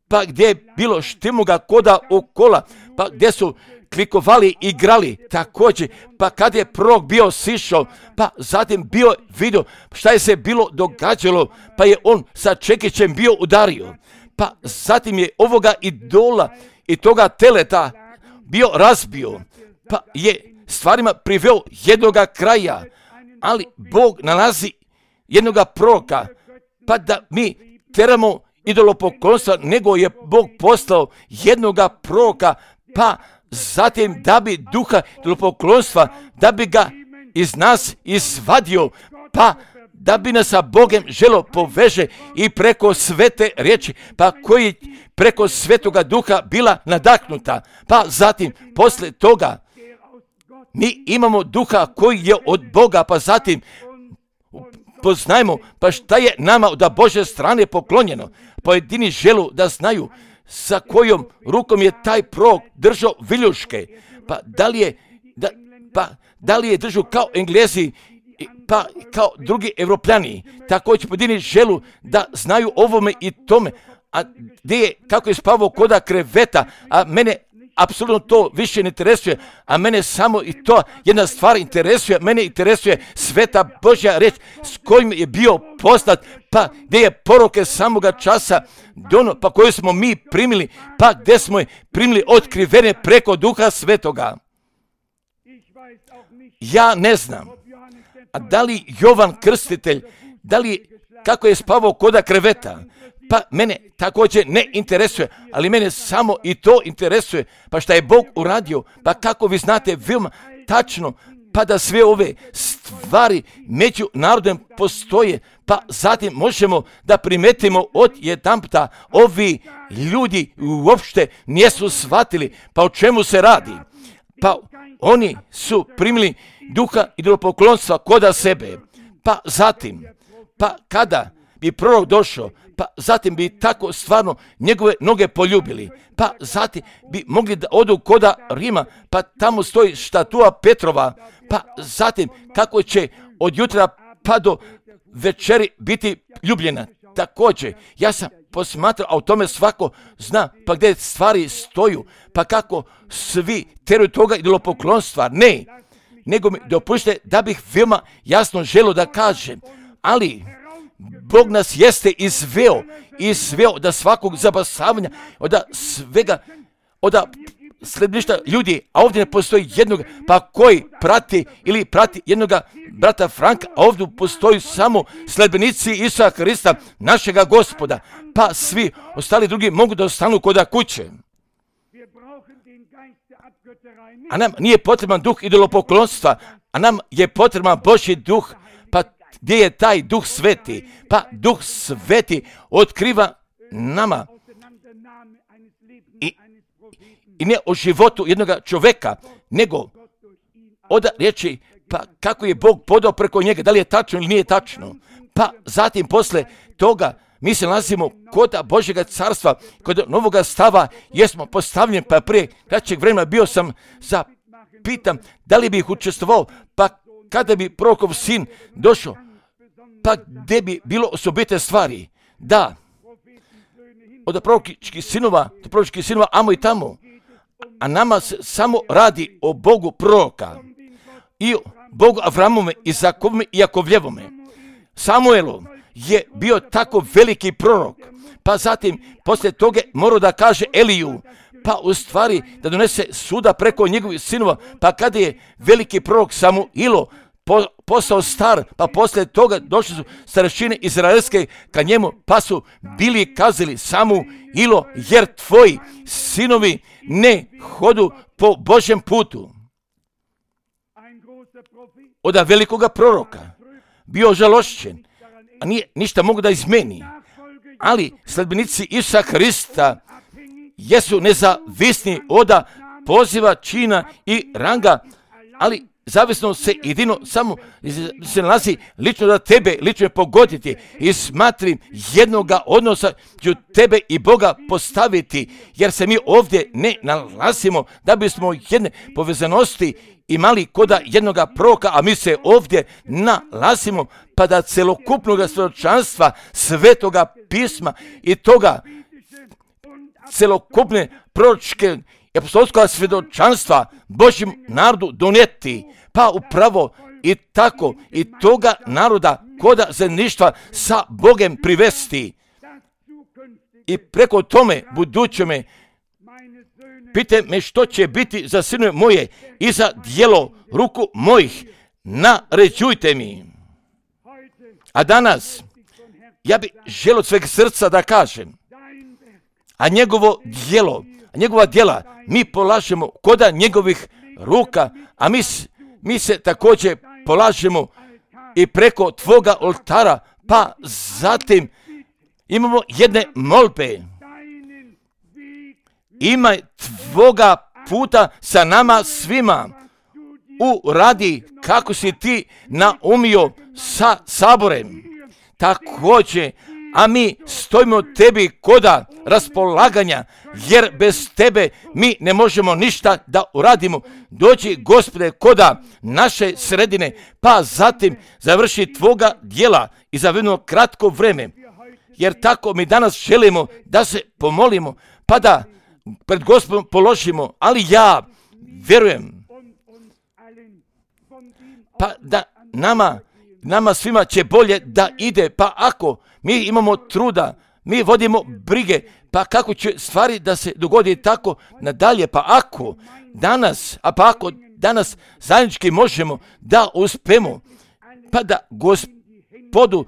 pa gdje je bilo štimoga koda okola, pa gdje su klikovali, igrali, također, pa kad je prorok bio sišao, pa zatim bio vidio šta je se bilo događalo, pa je on sa čekićem bio udario, pa zatim je ovoga idola i toga teleta bio razbio, pa je stvarima priveo jednoga kraja, ali Bog nalazi jednoga proroka, pa da mi teramo idolopoklonstva, nego je Bog poslao jednoga proroka, pa zatim da bi duha idolopoklonstva, da bi ga iz nas izvadio, pa da bi nas sa Bogem želo poveže i preko svete riječi, pa koji preko svetoga duha bila nadahnuta, pa zatim posle toga mi imamo duha koji je od Boga, pa zatim poznajmo pa šta je nama od Božje strane poklonjeno. Pojedini želu da znaju sa kojom rukom je taj prorok držao viljuške, pa da li je držao kao Englezi, pa kao drugi Evropljani. Također pojedini želu da znaju ovome i tome, a gdje je, kako je spavao koda kreveta, a mene apsolutno to više ne interesuje, a mene samo i to jedna stvar interesuje, mene interesuje sveta Božja reč s kojim je bio poslat, pa gdje je poruke samoga časa dono, pa koju smo mi primili, pa gdje smo je primili otkrivene preko Duha Svetoga. Ja ne znam, a da li Jovan Krstitelj, kako je spavao koda kreveta, pa mene također ne interesuje, ali mene samo i to interesuje, pa šta je Bog uradio, pa kako vi znate veoma tačno, pa da sve ove stvari među narodom postoje, pa zatim možemo da primetimo od jedanputa ovi ljudi uopšte nisu shvatili, pa o čemu se radi, pa oni su primili duha idolopoklonstva koda sebe, pa zatim, pa kada bi prorok došao, pa zatim bi tako stvarno njegove noge poljubili, pa zatim bi mogli da odu koda Rima, pa tamo stoji štatua Petrova, pa zatim kako će od jutra pa do večeri biti ljubljena. Također, ja sam posmatrao, a o tome svako zna, pa gdje stvari stoju, pa kako svi teruju toga idolopoklonstva, ne, nego mi dopušte da bih veoma jasno želio da kažem, ali Bog nas jeste izveo da svakog zabasavanja, od svega, od sledbeništva ljudi, a ovdje ne postoji jednog, pa koji prati ili prati jednoga brata Franka, a ovdje postoji samo sledbenici Isusa Hrista, našega Gospoda, pa svi ostali drugi mogu da ostanu koda kuće. A nam nije potreban duh idolopoklonstva, a nam je potreban Božji duh, pa gdje je taj duh sveti? Pa duh sveti otkriva nama i ne o životu jednog čovjeka, nego od riječi, pa kako je Bog podao preko njega, da li je tačno ili nije tačno. Pa zatim posle toga mi se nalazimo kod Božjega carstva, kod novoga stava, jesmo postavljeni, pa prije kraćeg vremena bio sam zapitan da li bih učestvovao, pa kada bi prorokov sin došao, pa gdje bi bilo osobite stvari, da, od proročkih sinova, amo i tamo, a nama se samo radi o Bogu proroka i o Bogu Avramome, Izakovome i Jakovljevome. Samuelu je bio tako veliki prorok, pa zatim poslije toga morao da kaže Eliju, pa u stvari da donese suda preko njegovih sinova, pa kada je veliki prorok Samuilo postao star, pa poslije toga došli su starešine izraelske ka njemu, pa su bili kazali Samuilo, jer tvoji sinovi ne hodu po Božjem putu. Od velikoga proroka bio žalošćen, a nije ništa mogu da izmeni, ali sledbenici Isusa Hrista jesu nezavisni od poziva, čina i ranga, ali zavisno se jedino samo se nalazi lično da tebe lično pogoditi i smatrim jednoga odnosa ću tebe i Boga postaviti, jer se mi ovdje ne nalazimo da bismo jedne povezanosti imali koda jednoga proroka, a mi se ovdje nalazimo pa da celokupnog svjedočanstva svetoga pisma i toga celokupne proročke i apostolska svjedočanstva Božjem narodu donijeti. Pa upravo i tako i toga naroda koda zajedništva sa Bogem privesti. I preko tome budućeme pite me što će biti za sinove moje i za djelo ruku mojih, naređujte mi. A danas ja bih želio od sveg srca da kažem, a njegovo djelo, njegova djela mi polažemo koda njegovih ruka, a mi se također polažemo i preko tvoga oltara, pa zatim imamo jedne molbe. Imaj tvoga puta sa nama svima. Uradi kako si ti naumio sa saborem. Također, a mi stojimo tebi koda raspolaganja, jer bez tebe mi ne možemo ništa da uradimo. Dođi, Gospode, koda naše sredine, pa zatim završi tvoga djela i za jedno kratko vreme. Jer tako mi danas želimo da se pomolimo, pa da pred Gospodom položimo, ali ja vjerujem, pa da nama svima će bolje da ide, pa ako mi imamo truda, mi vodimo brige, pa kako će stvari da se dogodi tako nadalje, pa ako danas zajednički možemo da uspemo, pa da Gospodu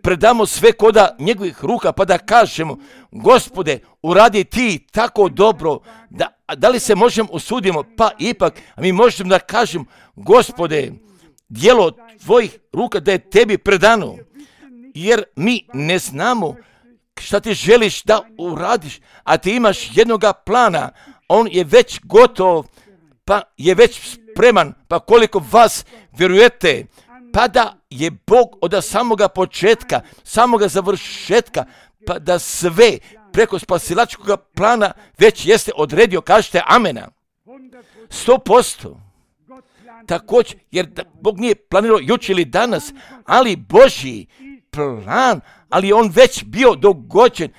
predamo sve koda njegovih ruka, pa da kažemo, Gospode, uradi ti tako dobro, da li se možemo usudimo, pa ipak mi možemo da kažemo, Gospode, djelo tvojih ruka da je tebi predano, jer mi ne znamo šta ti želiš da uradiš, a ti imaš jednoga plana, on je već gotov, pa je već spreman, pa koliko vas vjerujete, pa da je Bog od samoga početka, samoga završetka, pa da sve preko spasilačkog plana već jeste odredio, kažete amena. 100%. Također, jer Bog nije planirao jučer ili danas, ali Božji plan, ali on već bio dogođen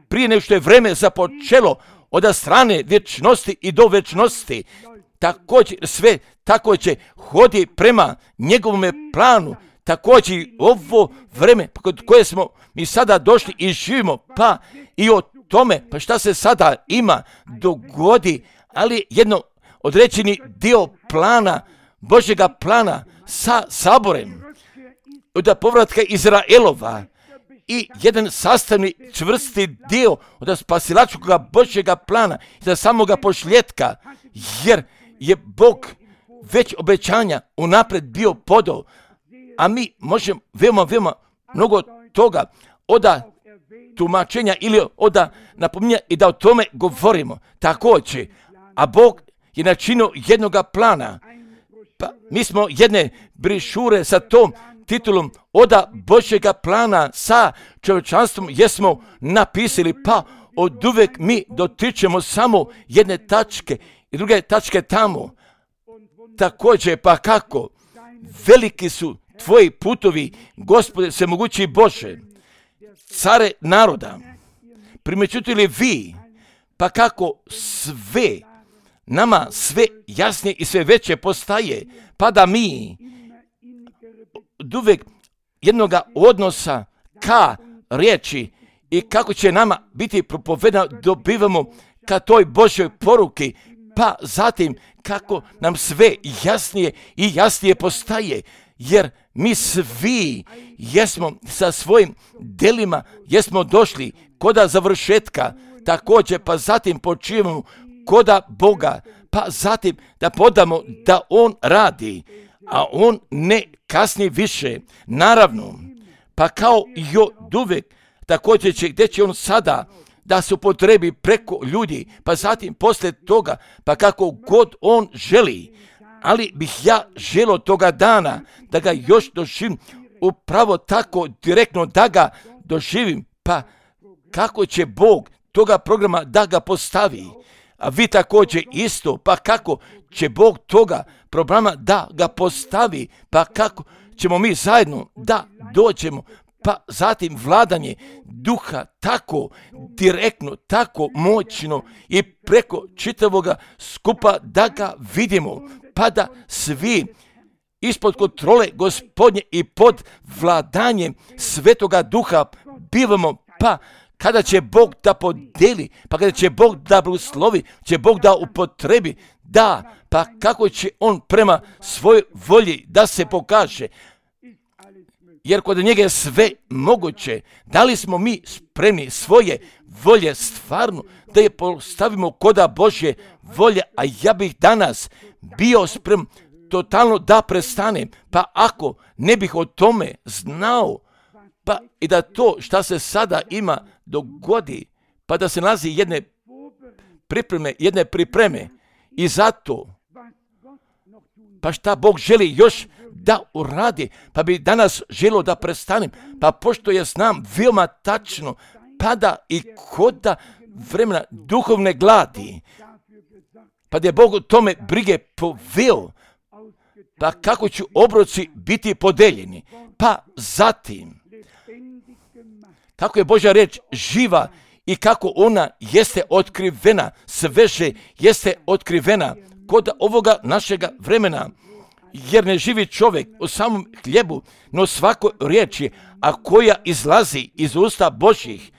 prije nego što je vreme započelo od strane vječnosti i do vječnosti. Također sve također hodi prema njegovome planu. Također ovo vreme kod koje smo mi sada došli i živimo, pa i o tome, pa šta se sada ima dogodi, ali jedno određeni dio plana, Božjega plana sa saborem, od povratka Izraelova i jedan sastavni čvrsti dio od spasilačkog Božjega plana i za samoga pošljetka, jer je Bog već obećanja unaprijed bio podao, a mi možemo veoma mnogo toga od tumačenja ili od napominja i da o tome govorimo. Također, a Bog je načinio jednoga plana, pa mi smo jedne brišure sa tom titulom od Božjega plana sa čovječanstvom jesmo napisali, pa od uvek mi dotičemo samo jedne tačke i druge tačke tamo. Također, pa kako? Veliki su tvoji putovi, Gospode, svemogući Bože, care naroda. Primećujete li vi, pa kako nama sve jasnije i sve veće postaje, pa da mi od uvek jednoga odnosa ka riječi i kako će nama biti propovedano, dobivamo ka toj Božjoj poruki, pa zatim kako nam sve jasnije i jasnije postaje, jer mi svi jesmo sa svojim delima, jesmo došli koda završetka, također pa zatim počivamo koda Boga, pa zatim da podamo da On radi, a On ne kasni više, naravno, pa kao i od uvek, također gdje će On sada da se upotrebi preko ljudi, pa zatim poslije toga, pa kako god On želi, ali bih ja želio toga dana da ga još doživim, upravo tako direktno da ga doživim, pa kako će Bog toga programa da ga postavi, a vi također isto, pa kako će Bog toga programa da ga postavi, pa kako ćemo mi zajedno da dođemo, pa zatim vladanje duha tako direktno, tako moćno i preko čitavoga skupa da ga vidimo, pa da svi ispod kontrole Gospodnje i pod vladanjem Svetoga Duha bivamo, pa kada će Bog da podeli, pa kada će Bog da blagoslovi, će Bog da upotrebi, da, pa kako će On prema svojoj volji da se pokaže, jer kod njega je sve moguće. Da li smo mi spremni svoje volje stvarno da je postavimo koda Božje volje, a ja bih danas bio spreman totalno da prestanem, pa ako ne bih o tome znao, pa i da to šta se sada ima dogodi, pa da se nalazi jedne pripreme i zato, pa šta Bog želi još da uradi, pa bi danas želio da prestanem, pa pošto ja znam veoma tačno, pada i koda vremena duhovne gladi, pa da je Bog o tome brige poveo, pa kako će obroci biti podeljeni, pa zatim, kako je Božja reč živa i kako ona jeste otkrivena, sveže jeste otkrivena kod ovoga našega vremena, jer ne živi čovjek u samom hljebu, no svakoj riječi, a koja izlazi iz usta Božjih.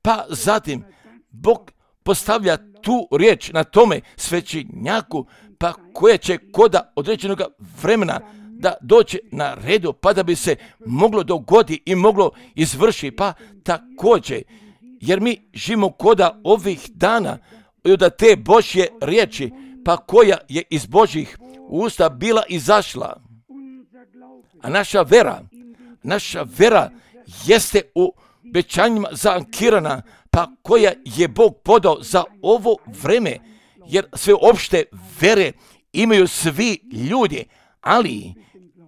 Pa zatim Bog postavlja tu riječ na tome svećenjaku, pa koja će koda određenog vremena da dođe na redu, pa da bi se moglo dogodi i moglo izvrši, pa također, jer mi živimo koda ovih dana i od te Božje riječi, pa koja je iz Božjih usta bila izašla. A naša vera jeste u obećanjima zaankirana, pa koja je Bog podao za ovo vreme, jer sve opšte vere imaju svi ljudi,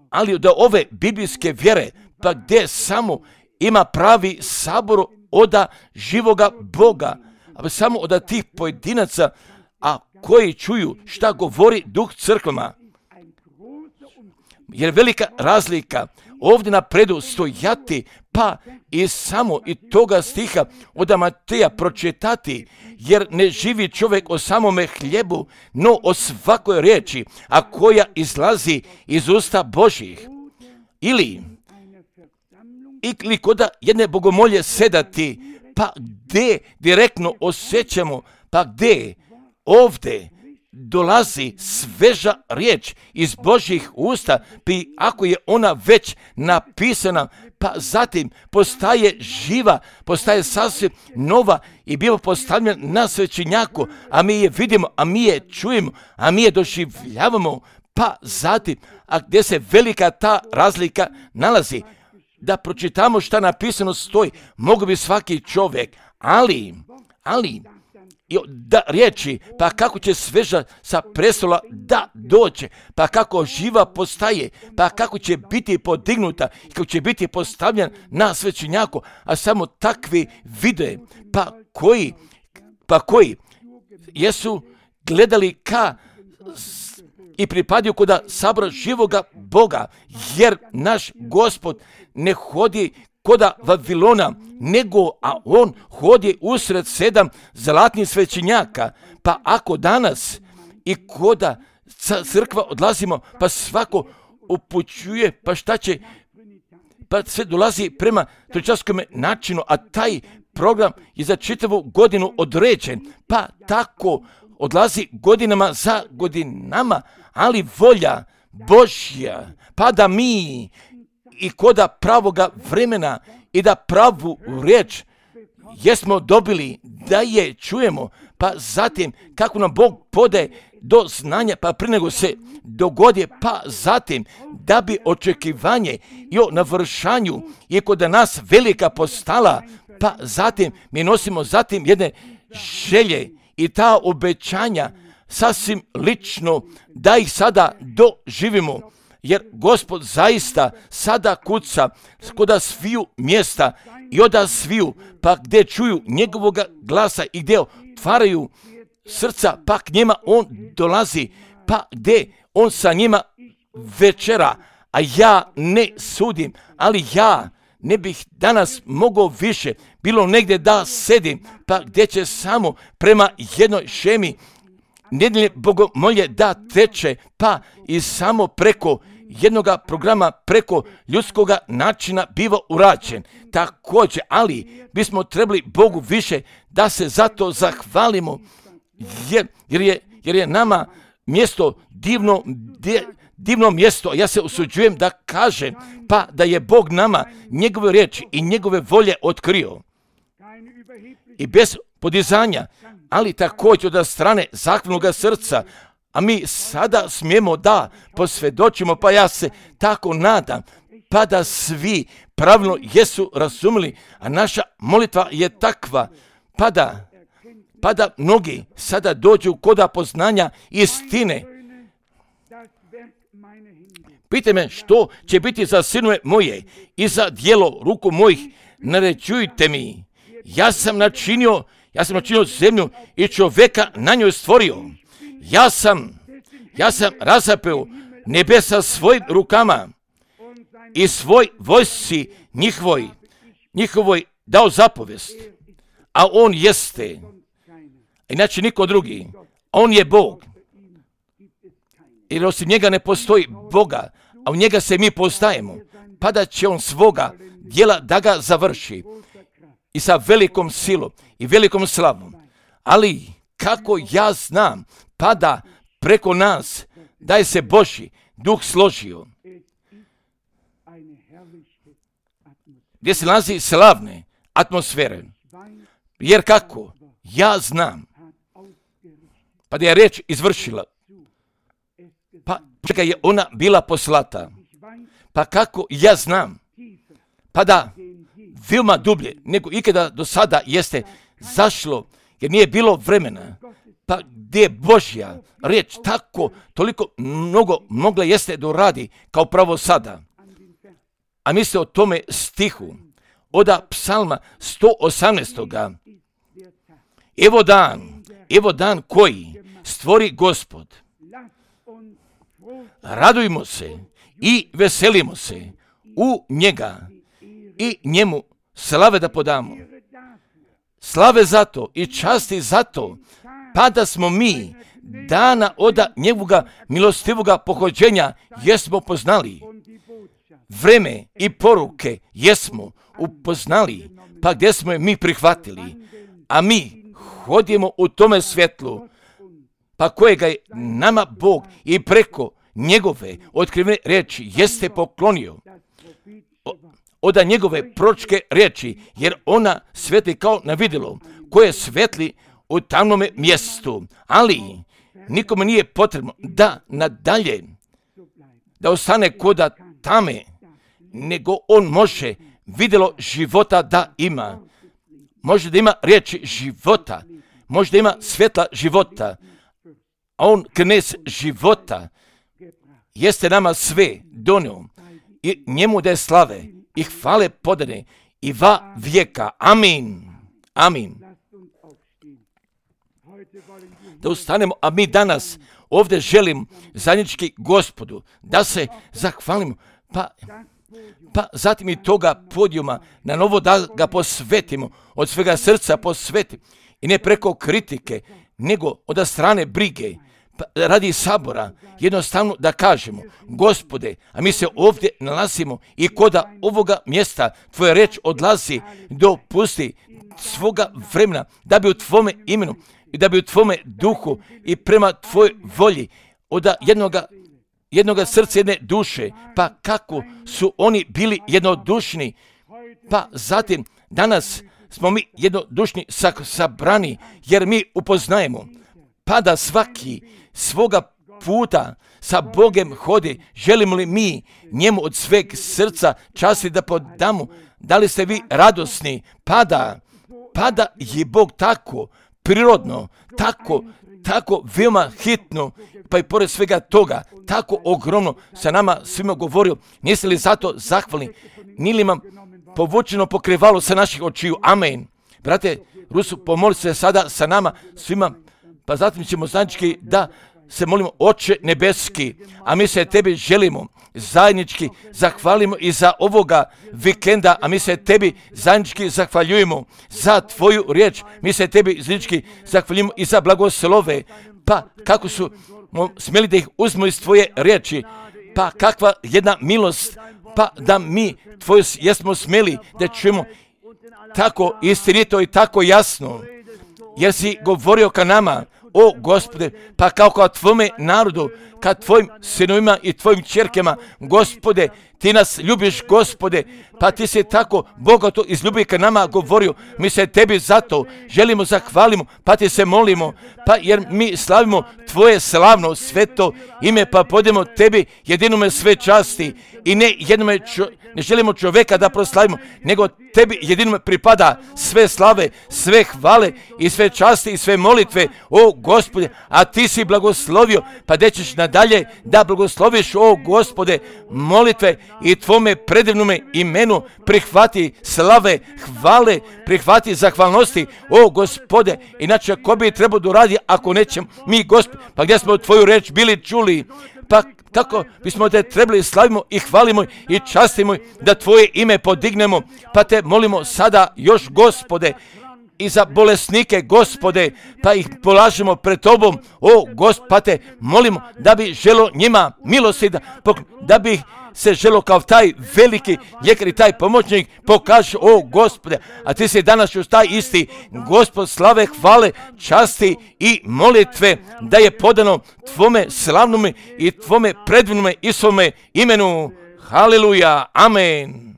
ali da ove biblijske vjere, pa gdje samo ima pravi sabor oda živoga Boga, a samo od tih pojedinaca, a koji čuju šta govori Duh crkvama. Jer velika razlika ovdje napredu stojati, pa i samo i toga stiha od Mateja pročitati, jer ne živi čovjek o samome hljebu, no o svakoj riječi, a koja izlazi iz usta Božjih. Ili kod jedne bogomolje sedati, pa gdje direktno osjećamo, pa gdje ovdje dolazi sveža riječ iz Božjih usta, pa ako je ona već napisana, pa zatim postaje živa, postaje sasvim nova i biva postavljena na svećenjaku, a mi je vidimo, a mi je čujemo, a mi je doživljavamo, pa zatim, a gdje se velika ta razlika nalazi, da pročitamo šta napisano stoji, mogu bi svaki čovjek, ali i da riječi, pa kako će sveža sa prestola da dođe, pa kako živa postaje, pa kako će biti podignuta i kako će biti postavljen na svećenjaku, a samo takvi vide, pa koji jesu gledali ka i pripadaju kod sabora živoga Boga, jer naš Gospod ne hodi koda Vavilona, a on hodi usred 7 zlatnih svećenjaka. Pa ako danas i koda crkva odlazimo, pa svako upućuje, pa šta će, pa sve dolazi prema trojčarskom načinu, a taj program je za čitavu godinu određen, pa tako odlazi godinama za godinama, ali volja Božja, pa da mi i koda pravoga vremena i da pravu riječ jesmo dobili, da je čujemo, pa zatim kako nam Bog podaje do znanja, pa prije nego se dogodi, pa zatim da bi očekivanje i o navršanju je kod nas velika postala, pa zatim mi nosimo zatim jedne želje i ta obećanja sasvim lično da ih sada doživimo. Jer Gospod zaista sada kuca kod sviju mjesta i oda sviju, pa gdje čuju njegovoga glasa i gdje otvaraju srca, pa k njima on dolazi, pa gdje on sa njima večera, a ja ne sudim, ali ja ne bih danas mogao više, bilo negdje da sedim, pa gdje će samo prema jednoj šemi nedjelje bogomolje da teče, pa i samo preko jednoga programa, preko ljudskoga načina biva urađen. Također, ali bismo trebali Bogu više da se zato zahvalimo, jer je nama mjesto divno mjesto. Ja se usuđujem da kažem, pa da je Bog nama njegove riječi i njegove volje otkrio. I bez podizanja, ali također od strane zahvalnoga srca, a mi sada smijemo da posvjedočimo, pa ja se tako nadam, pa da svi pravilno jesu razumili, a naša molitva je takva, pa da mnogi sada dođu kod poznanja istine. Pitajte me što će biti za sinove moje i za djelo ruku mojih, naređujte mi. Ja sam načinio zemlju i čovjeka na njoj stvorio. Ja sam razapeo nebesa svojim rukama i svoj vojsci njihovoj dao zapovest. A on jeste, inače niko drugi, on je Bog. Jer osim njega ne postoji Boga, a u njega se mi postajemo, pa da će on svoga djela da ga završi i sa velikom silom i velikom slavom. Ali kako ja znam, pa da preko nas da je se Božji duh složio, gdje se nalazi slavne atmosfere. Jer kako ja znam, pa da je riječ izvršila, pa čega je ona bila poslata, pa kako ja znam, pa da veoma dublje nego ikada do sada jeste zašlo, jer nije bilo vremena, pa gdje je Božja riječ tako toliko mnogo mogla jeste doradi kao pravo sada. A mislite o tome stihu od psalma 118. Evo dan koji stvori Gospod. Radujmo se i veselimo se u njega i njemu slave da podamo. Slave zato i časti zato, pa da smo mi dana od njegovoga milostivoga pohođenja jesmo poznali. Vreme i poruke jesmo upoznali, pa gdje smo je mi prihvatili, a mi hodimo u tome svjetlu, pa kojega je nama Bog i preko njegove otkrivene riječi jeste poklonio. Od njegove proročke riječi, jer ona svetli kao na vidjelo, koje svetli u tamnome mjestu, ali nikome nije potrebno da nadalje da ostane koda tame, nego on može vidjelo života da ima. Može da ima riječi života, može da ima svjetla života, a on knez života jeste nama sve donio i njemu da je slave i hvale podane i va vijeka. Amin. Amin. Da ustanemo, a mi danas ovdje želim zajednički Gospodu da se zahvalimo, pa zatim i toga podijuma na novo da ga posvetimo, od svega srca posvetimo i ne preko kritike, nego od strane brige, pa radi sabora, jednostavno da kažemo, Gospode, a mi se ovdje nalazimo i koda ovoga mjesta tvoja reč odlazi, dopusti svoga vremena da bi u tvome imenu i da bi u tvome duhu i prema tvojoj volji od jednoga srca, jedne duše, pa kako su oni bili jednodušni, pa zatim danas smo mi jednodušni sabrani, jer mi upoznajemo, pa da svaki svoga puta sa Bogem hodi, želimo li mi njemu od sveg srca časti da podamo, da li ste vi radosni, pa da je Bog tako prirodno, tako veoma hitno, pa i pored svega toga, tako ogromno sa nama svima govorio. Niste li zato zahvalni? Nije li vam povučeno pokrivalo sa naših očiju? Amen. Brate Rusu, pomoli se sada sa nama svima, pa zatim ćemo zajednički da se molimo, Oče nebeski, a mi se tebi želimo zajednički zahvalimo i za ovoga vikenda, a mi se tebi zajednički zahvaljujemo za tvoju riječ, mi se tebi zajednički zahvaljujemo i za blagoslove, pa kako su smjeli da ih uzmu iz tvoje riječi, pa kakva jedna milost, pa da mi tvoju jesmo smjeli da čujemo tako istinito i tako jasno, jer si govorio ka nama, o Gospode, pa kao tvome narodu, ka tvojim sinovima i tvojim ćerkama, Gospode, ti nas ljubiš, Gospode, pa ti se tako bogato iz ljubavi ka nama govorio, mi se tebi zato želimo, zahvalimo, pa ti se molimo, pa jer mi slavimo tvoje slavno sveto ime, pa podemo tebi jedinome sve časti i ne jednome ne želimo čovjeka da proslavimo, nego tebi jedinome pripada sve slave, sve hvale i sve časti i sve molitve, o Gospode, a ti si blagoslovio, pa da ćeš nadalje da blagosloviš, o Gospode, molitve i tvome predivnome imenu prihvati slave, hvale, prihvati zahvalnosti, o Gospode, inače ko bi trebao da uradi ako nećemo mi, Gospode, pa gdje smo tvoju reč bili čuli, pa kako bismo te trebali slavimo i hvalimo i častimo da tvoje ime podignemo, pa te molimo sada još, Gospode, i za bolesnike, Gospode, pa ih polažemo pred tobom, o Gospod, pa te molimo da bi želo njima milosti, da bi se želo kao taj veliki ljekar i taj pomoćnik pokaže, o Gospode, a ti si danas još taj isti, Gospod, slave, hvale, časti i molitve da je podano tvome slavnome i tvome predivnome i svome imenu. Haleluja, amen.